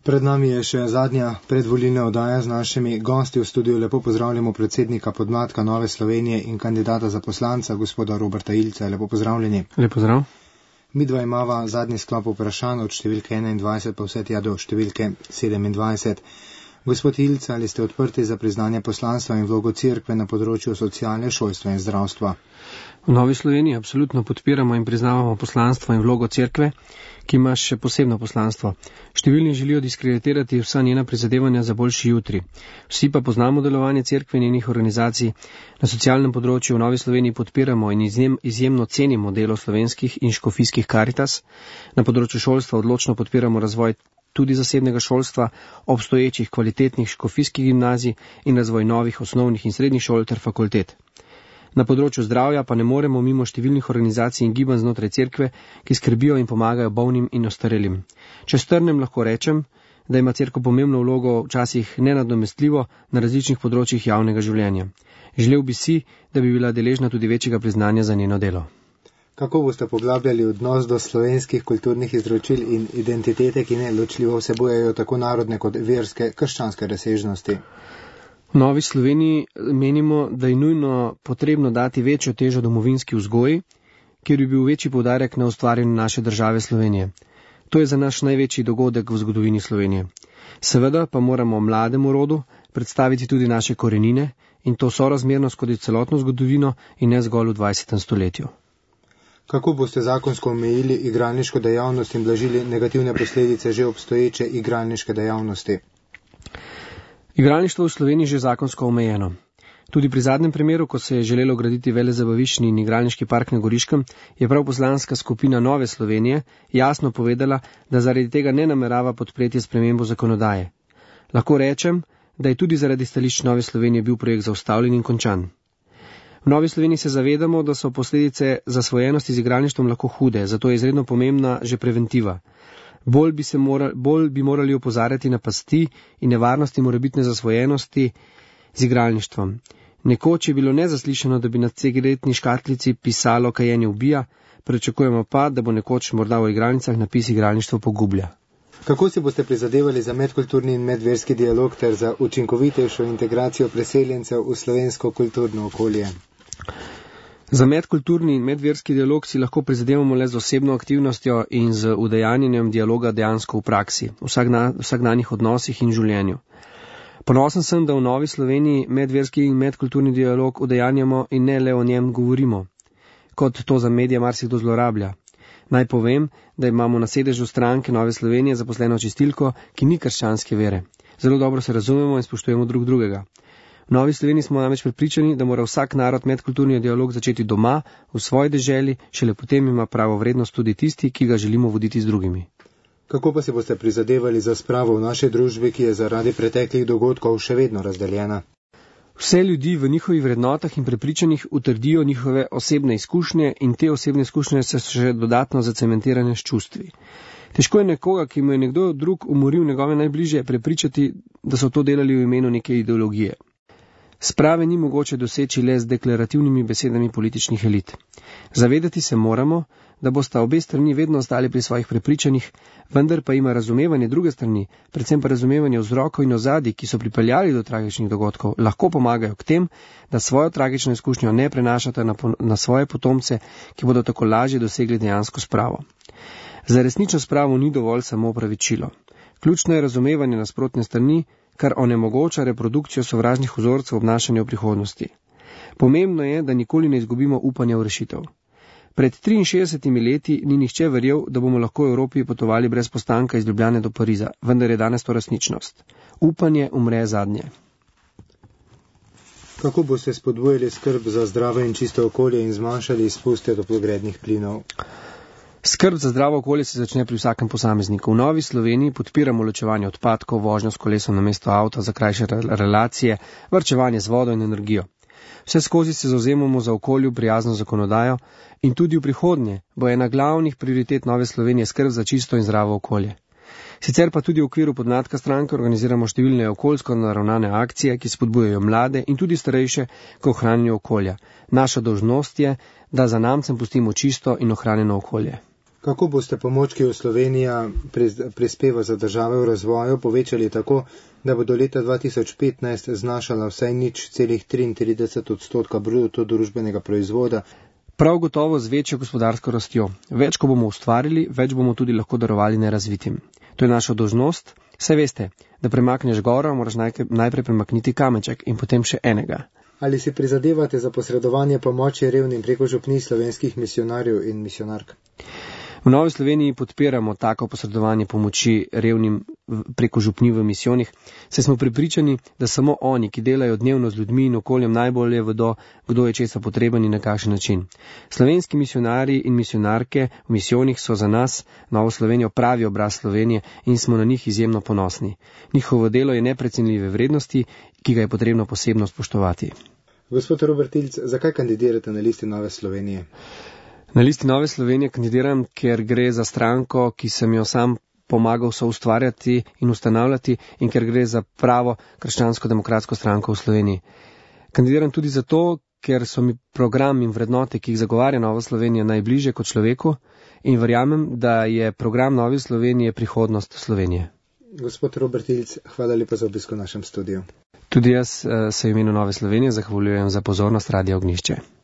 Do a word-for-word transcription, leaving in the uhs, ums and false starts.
Pred nami je še zadnja predvolilna oddaja z našimi gosti. V studiu lepo pozdravljamo predsednika podmladka Nove Slovenije in kandidata za poslanca, gospoda Roberta Ilca. Lepo pozdravljeni. Lep pozdrav. Midva imava zadnji sklop vprašanj od številke enaindvajset pa vse tja do številke sedemindvajset. Gospod Ilca, ali ste odprti za priznanje poslanstva in vlogo cerkve na področju socialne, šolstva in zdravstva? V Novi Sloveniji absolutno podpiramo in priznavamo poslanstvo in vlogo cerkve, ki ima še posebno poslanstvo. Številni želijo diskreditirati vsa njena prizadevanja za boljši jutri. Vsi pa poznamo delovanje cerkve in njenih organizacij. Na socialnem področju v Novi Sloveniji podpiramo in izjem, izjemno cenimo delo slovenskih in škofijskih Karitas. Na področju šolstva odločno podpiramo razvoj tudi zasebnega šolstva, obstoječih kvalitetnih škofijskih gimnazij in razvoj novih osnovnih in srednjih šol ter fakultet. Na področju zdravja pa ne moremo mimo številnih organizacij in gibanj znotraj cerkve, ki skrbijo in pomagajo bolnim in ostarelim. Če strnem, lahko rečem, da ima cerkev pomembno vlogo, včasih nenadomestljivo, na različnih področjih javnega življenja. Želel bi si, da bi bila deležna tudi večjega priznanja za njeno delo. Kako boste poglabljali odnos do slovenskih kulturnih izročil in identitete, ki neločljivo vsebujejo tako narodne kot verske, krščanske razsežnosti? V Novi Sloveniji menimo, da je nujno potrebno dati večjo težo domovinski vzgoji, kjer bi bil večji poudarek na ustvarjanju naše države Slovenije. To je za naš največji dogodek v zgodovini Slovenije. Seveda pa moramo mlademu rodu predstaviti tudi naše korenine in to sorazmerno skozi celotno zgodovino in ne zgolj v dvajsetem stoletju. Kako boste zakonsko omejili igralniško dejavnost in blažili negativne posledice že obstoječe igralniške dejavnosti? Igralništvo v Sloveniji je že zakonsko omejeno. Tudi pri zadnjem primeru, ko se je želelo graditi velezabaviščni in igralniški park na Goriškem, je prav poslanska skupina Nove Slovenije jasno povedala, da zaradi tega ne namerava podpreti spremembo zakonodaje. Lahko rečem, da je tudi zaradi stališč Nove Slovenije bil projekt zaustavljen in končan. V Novi Sloveniji se zavedamo, da so posledice zasvojenosti z igralništvom lahko hude, zato je izredno pomembna že preventiva. Bolj bi, se morali, bolj bi morali opozarjati na pasti in nevarnosti morebitne zasvojenosti z igralništvom. Nekoč je bilo nezaslišano, da bi na cigaretni škatlici pisalo kajenje ubija, pričakujemo pa, da bo nekoč morda v igralnicah napis igralništvo pogublja. Kako si boste prizadevali za medkulturni in medverski dialog ter za učinkovitejšo integracijo preseljencev v slovensko kulturno okolje? Za medkulturni in medverski dialog si lahko prizadevamo le z osebno aktivnostjo in z udejanjenjem dialoga dejansko v praksi, v vsakdanjih odnosih in življenju. Ponosen sem, da v Novi Sloveniji medverski in medkulturni dialog udejanjamo in ne le o njem govorimo, kot to za medije marsikdo zlorablja. Naj povem, da imamo na sedežu stranke Nove Slovenije zaposleno čistilko, ki ni krščanske vere. Zelo dobro se razumemo in spoštujemo drug drugega. V Novi Sloveniji smo namreč prepričani, da mora vsak narod medkulturni dialog začeti doma, v svoji deželi, šele potem ima pravo vrednost tudi tisti, ki ga želimo voditi z drugimi. Kako pa si boste prizadevali za spravo v naši družbi, ki je zaradi preteklih dogodkov še vedno razdeljena? Vse ljudi v njihovih vrednotah in prepričanjih utrdijo njihove osebne izkušnje in te osebne izkušnje so še dodatno zacementirane s čustvi. Težko je nekoga, ki mu je nekdo drug umoril njegove najbližje, prepričati, da so to delali v imenu neke ideologije. Sprave ni mogoče doseči le z deklarativnimi besedami političnih elit. Zavedati se moramo, da bosta obe strani vedno ostali pri svojih prepričanjih, vendar pa ima razumevanje druge strani, predvsem pa razumevanje vzrokov in ozadij, ki so pripeljali do tragičnih dogodkov, lahko pomagajo k tem, da svojo tragično izkušnjo ne prenašata na, na svoje potomce, ki bodo tako lažje dosegli dejansko spravo. Za resnično spravo ni dovolj samo opravičilo. Ključno je razumevanje nasprotne strani, kar onemogoča reprodukcijo sovražnih vzorcev obnašanja v prihodnosti. Pomembno je, da nikoli ne izgubimo upanja v rešitev. Pred triinšestdesetimi leti ni nihče verjel, da bomo lahko v Evropi potovali brez postanka iz Ljubljane do Pariza, vendar je danes to resničnost. Upanje umre zadnje. Kako boste spodbujali skrb za zdravo in čisto okolje in zmanjšali izpuste toplogrednih plinov? Skrb za zdravo okolje se začne pri vsakem posamezniku. V Novi Sloveniji podpiramo ločevanje odpadkov, vožnjo s kolesom namesto avta za krajše relacije, varčevanje z vodo in energijo. Vse skozi se zauzemamo za okolju prijazno zakonodajo in tudi v prihodnje bo ena glavnih prioritet Nove Slovenije skrb za čisto in zdravo okolje. Sicer pa tudi v okviru podmladka stranke organiziramo številne okoljsko naravnane akcije, ki spodbujajo mlade in tudi starejše k ohranjanju okolja. Naša dolžnost je, da za namcem pustimo čisto in ohranjeno okolje. Kako boste pomoč, ki jo Slovenija prispeva za države v razvoju, povečali tako, da bo do leta dva tisoč petnajst znašala vsaj nič celih triintrideset odstotka bruto družbenega proizvoda? Prav gotovo z večjo gospodarsko rastjo. Več, ko bomo ustvarili, več bomo tudi lahko darovali nerazvitim. To je naša dolžnost. Saj veste, da premakneš goro, moraš najprej premakniti kamenček in potem še enega. Ali si prizadevate za posredovanje pomoči revnim preko župnij slovenskih misionarjev in misionark? V Novi Sloveniji podpiramo tako posredovanje pomoči revnim preko župnij v misijonih, saj smo prepričani, da samo oni, ki delajo dnevno z ljudmi in okoljem, najbolje vedo, kdo je česa potreben in na kakšen način. Slovenski misionarji in misionarke v misijonih so za nas, Novo Slovenijo, pravi obraz Slovenije in smo na njih izjemno ponosni. Njihovo delo je neprecenljive vrednosti, ki ga je potrebno posebno spoštovati. Gospod Robert Ilc, zakaj kandidirate na listi Nove Slovenije? Na listi Nove Slovenije kandidiram, ker gre za stranko, ki sem jo sam pomagal soustvarjati in ustanavljati in ker gre za pravo krščansko-demokratsko stranko v Sloveniji. Kandidiram tudi zato, ker so mi program in vrednote, ki jih zagovarja Nova Slovenija, najbliže kot človeku in verjamem, da je program Nove Slovenije prihodnost Slovenije. Gospod Robert Ilc, hvala lepa za obisko v našem studiu. Tudi jaz se v imenu Nove Slovenije zahvaljujem za pozornost Radia Ognjišče.